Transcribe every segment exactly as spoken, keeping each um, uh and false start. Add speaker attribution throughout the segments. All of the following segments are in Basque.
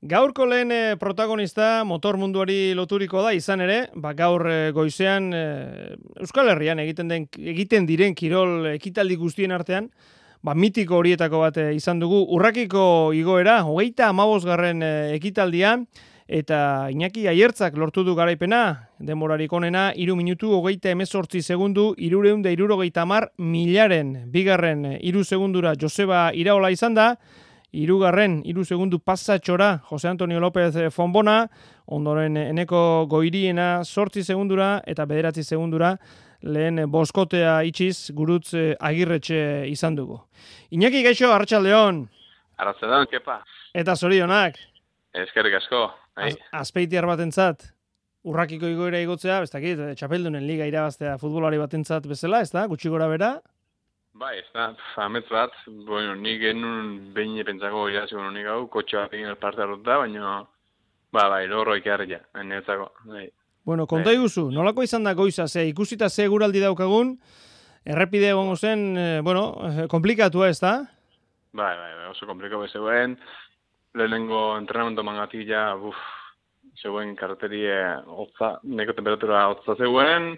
Speaker 1: Gaurko lehen eh, protagonista motor munduari loturiko da, izan ere, ba, gaur eh, goizean eh, Euskal Herrian egiten den egiten diren kirol ekitaldi guztien artean, ba, mitiko horietako bat eh, izan dugu. Urrakiko igoera, hogeita hamabosgarren eh, ekitaldia, eta Iñaki Aiertzak lortu du garaipena, denborarik onena, hiru minutu hogeita hemezortzi segundu, hirureun da hirurogeita hamar milaren, bigarren eh, hiru segundura Joseba Iraola izan da, Hirugarren, hiru segundu pasatxora, Jose Antonio López Fonbona, ondoren Eneko Goiriena sortzi segundura, eta bederatzi segundura lehen boskotea itxiz gurutz Agirretxe izan dugu. Iñaki gaixo, Arratsaldeon.
Speaker 2: Arratsaldeon, kepa.
Speaker 1: Eta zorionak.
Speaker 2: Eskerrik asko.
Speaker 1: Az, azpeitiar batentzat, urrakiko igoera igotzea, ez dakit, txapeldunen liga irabaztea futbolari batentzat bezala, ez da, gutxi gora bera?
Speaker 2: Bai, ez da, amets bat, bueno, nik genuen behin pentsako iraziko nik hau, kotxe bat egin parte hartuta, baina, ba, bai, lorro ikarria, netzako, bai.
Speaker 1: Bueno, konta iguzu, nolako izan da goiza, ze ikusita ze guraldi daukagun, errepide egongo zen, eh, bueno, komplikatua ez da?
Speaker 2: Bai, bai, bai, oso komplikatu zegoen, lehenengo entrenamentu mangatila, buf, zegoen karterie hotza, neko temperatura hotza zegoen,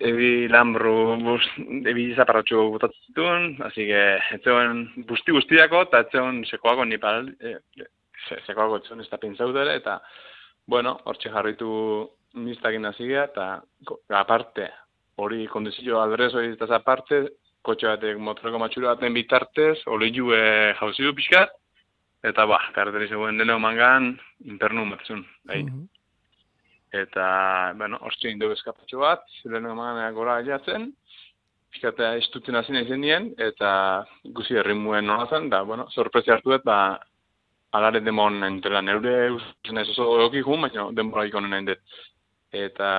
Speaker 2: ebi lambru, bus, ebi zaparratxo botatzen zituen, así que, etzegoen busti guztiako, eta etzegoen sekoako nipal, e, sekoako etzegoen ez da pintzautere, eta, bueno, hortxe jarritu niztakin nazigea, eta, aparte, hori kondizio aldrez hori eta aparte, kotxe batek motoreko matxura baten bitartez, hori jue jauzi du pixkat, eta, ba, karteri zegoen deno mangan, inpernu matzun, bai. Mm-hmm. Eta, bueno, hortxe indu eskapatxo bat, lehenu emaneak gora jatzen, pixkatea estutzen hasi nahi zenien, eta ikusi errimuen nola zen, da, bueno, sorpresa hartu dut, ba, alare demon entela neure usten ez oso egokik hun, baina denbora ikonen nahi dut. Eta,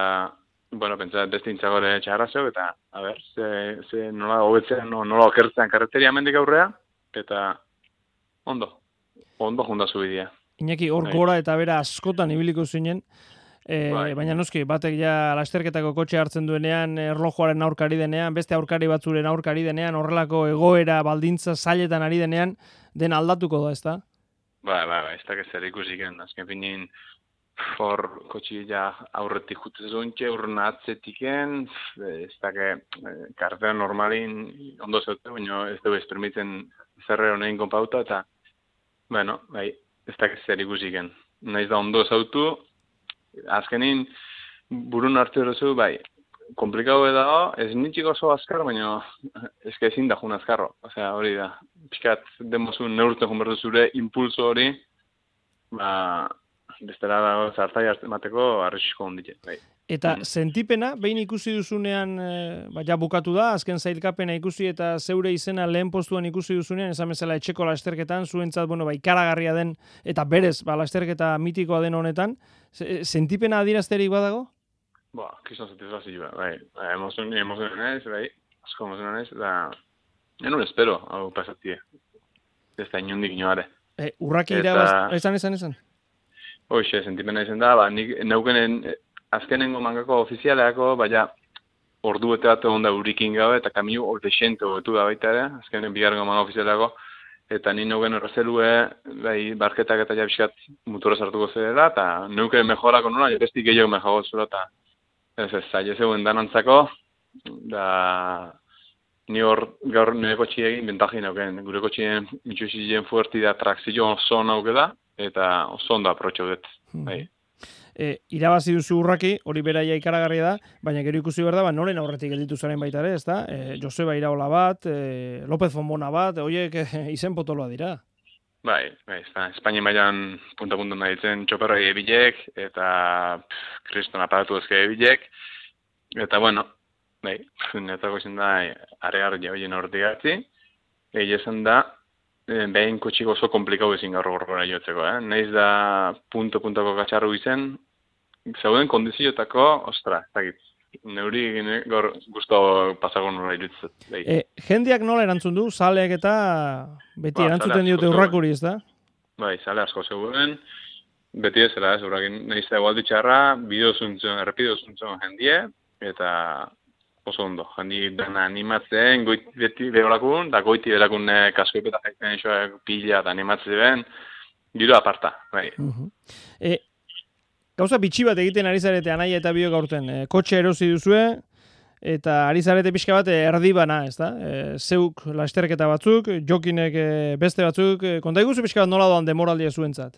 Speaker 2: bueno, pentsa beste intzagore txarra zeu, eta, a ber, ze, ze nola hobetzen, no, nola okertzen karreteria mendik aurrea, eta ondo, ondo junda zubidea.
Speaker 1: Iñaki, hor gora eta bera askotan ibiliko zinen, E, bai. Baina noski, batek ja lasterketako kotxe hartzen duenean, erlojuaren aurkari denean, beste aurkari batzuren aurkari denean, horrelako egoera, baldintza, zailetan ari denean, den aldatuko da, ez da?
Speaker 2: Ba, ba, ba, ez da zer ikusiken, azken finin, hor kotxe ja aurretik jutze zuntxe, urren atzetiken, ez da que kartera normalin ondo zeute, baina ez dugu ez permiten zerre honein konpauta, eta, bueno, bai, ez da zer ikusiken. Naiz da ondo zautu, azkenin, burun hartu erozu, bai, komplikau edago, ez nintxik oso azkar, baina ezke ezin da jun azkarro. Osea, hori da, pixkat demozun neurtzen jun berdu zure impulso hori, ba, bestera dago zartai mateko arrisiko ondite, bai.
Speaker 1: Eta mm. sentipena, behin ikusi duzunean, e, ba, ja bukatu da, azken zailkapena ikusi eta zeure izena lehen postuan ikusi duzunean, esan bezala etxeko lasterketan, zuentzat, bueno, ba, ikaragarria den, eta berez, ba, lasterketa mitikoa den honetan, sentipena adierazterik badago?
Speaker 2: Ba, kizan satisfazioa, bai, emozioen, emozioen ez, bai, asko emozioen ez, da, enun espero, hau pasatie, ez da inundik inoare.
Speaker 1: E, urraki irabaz, esan, esan, esan?
Speaker 2: Hoxe, sentipena izan da, ba, nik neukenen, azkenengo mangako ofizialeako, baina ordu bete bat egon da urikin gabe, eta kamio orte xente hobetu da baita ere, azkenen bigarrengo manga ofizialeako, eta ni neuken errezelue, bai, barketak eta jabiskat mutura sartuko zela, eta neuken mejorako nola, jabestik gehiago mejago zela, eta ez ez, zaila zegoen danantzako, da ni hor gaur nire kotxi egin bentajin neuken, gure kotxien mitxusizien fuerti da trakzio oso nauke da, eta oso ondo aprotxo dut, bai.
Speaker 1: E, irabazi duzu urraki, hori beraia ikaragarria da, baina gero ikusi behar da, ba, noren aurretik gelditu zaren baita ere, ez da? E, Joseba Iraola bat, e, López Fonbona bat, horiek e, izen potoloa dira.
Speaker 2: Bai, bai, Espainien baian punta-punta nahi ditzen txoperroi ebilek, eta kriston aparatu ezke ebilek, eta bueno, bai, netako izan da, aregar jabeien horretik hartzi, egi esan da, behin kotxik oso komplikau ezin gaur gorgora jotzeko, eh? Naiz da punto-puntako katxarru izen, zauden kondiziotako, ostra, ez dakit, neuri gaur guztu pasako nola irutzet.
Speaker 1: E, jendeak nola erantzun du, zaleak eta beti ba, erantzuten diote urrakuri, ez da?
Speaker 2: Bai, zale asko zegoen, beti ezela, ez, urrakin naiz da egualdi txarra, bideo zuntzen, errepido zuntzen jendie, eta oso ondo, jandi dena animatzen, goit, beti beholakun, da goiti belakun kaskoipeta jaiten isoak pila eta animatzen ben, giro aparta, bai.
Speaker 1: Uh-huh. E, gauza bitxi bat egiten ari zarete anaia eta biok aurten. E, kotxe erosi duzue, eta ari zarete pixka bat erdibana, ez da? E, zeuk lasterketa batzuk, jokinek e, beste batzuk, e, konta iguzu pixka bat nola doan demoraldia zuentzat?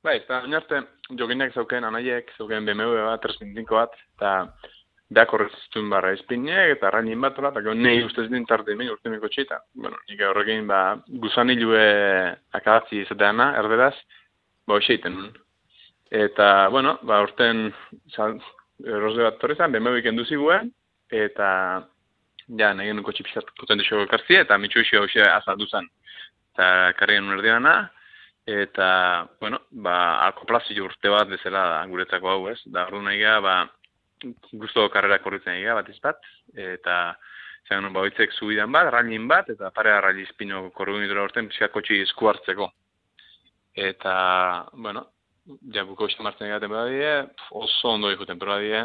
Speaker 2: Bai, eta oinarte jokinek zauken anaiek, zauken B M W bat, tres cinco bat, eta beak horretztuen barra espinek, eta rainin bat, eta gero nahi ustez din tarte ime urtemeko txita. Bueno, nik horrekin, ba, guzanilue akadatzi izateana, erderaz, ba, hoxeiten. Eta, bueno, ba, urten, erosle bat torrezan, B M W ikendu ziguen, eta, ja, nahi genuen kotxi pixat potentixo kartzi, eta mitxu isi hoxe azaldu zen. Eta, karri genuen erdiana, eta, bueno, ba, akoplazio urte bat bezala da, guretzako hau, ez? Da, ordu nahi gara, ba, guztu karrera korritzen egia bat izbat, eta zen ba, oitzek zubidan bat, railin bat, eta parea raili izpino korrigun idura orten pixkat kotxi esku hartzeko. Eta, bueno, ja buko uste martzen egaten bera die, oso ondo ikuten bera die,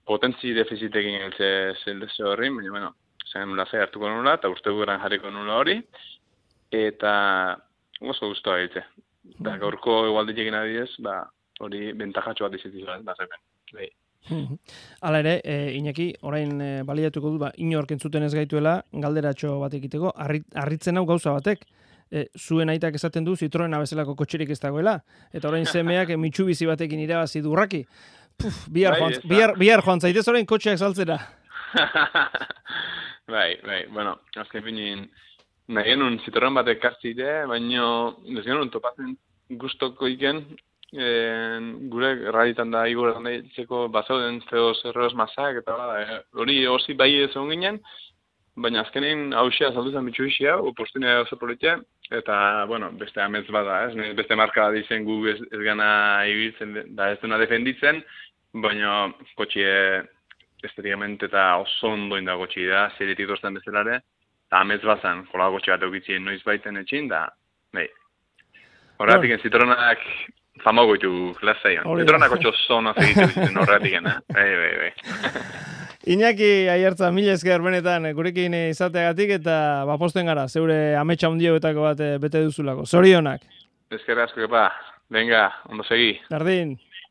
Speaker 2: potentzi defizitekin eltze zeldeze horri, baina, bueno, zen nula ze hartuko nula, eta urte guran jarriko nula hori, eta oso guztua egitze. Eta gaurko igualditekin adiez, ba, hori bentajatxo bat izitu bat, bazepen. Behi.
Speaker 1: Hala ere, e, Iñaki, orain e, baliatuko du, ba, inork entzuten ez gaituela, galderatxo bat egiteko, harritzen hau gauza batek, e, zuen aitak esaten du Citroena bezalako kotxerik ez dagoela, eta orain semeak e, Mitsubishi batekin irabazi durraki. Puf, bihar, bai, joan, bihar, bihar joan zaitez orain kotxeak saltzera.
Speaker 2: Bai, bai, bueno, azken finin, nahi genuen Citroen batek kartzite, baina ez genuen topatzen guztoko iken, E, gure raditan da igor handitzeko bazauden zeo zerroz mazak eta bada, hori e, osi bai ez egon ginen, baina azkenin hausia saldu zen Mitsubishi hau, postunea oso politia, eta, bueno, beste amets bada, ez? Beste marka bat izen gu ez, ez gana ibiltzen, da ez duna defenditzen, baina kotxie estetikament eta oso ondoin da kotxi da, zeritik dozten bezalare, eta amets bazan, jola kotxi bat eukitzien noiz baiten etxin, da, nahi. Horretik, no. Citroenak famago ditu klasaian. Citroenak otxo zona segitu ditzen horretik, eh? Bai, bai, bai.
Speaker 1: Iñaki Aiartza, mila esker benetan gurekin izateagatik eta baposten gara, zeure ametsa hundioetako bat bete duzulako. Zorionak.
Speaker 2: Esker asko, kepa. Venga, ondo segi.
Speaker 1: Berdin.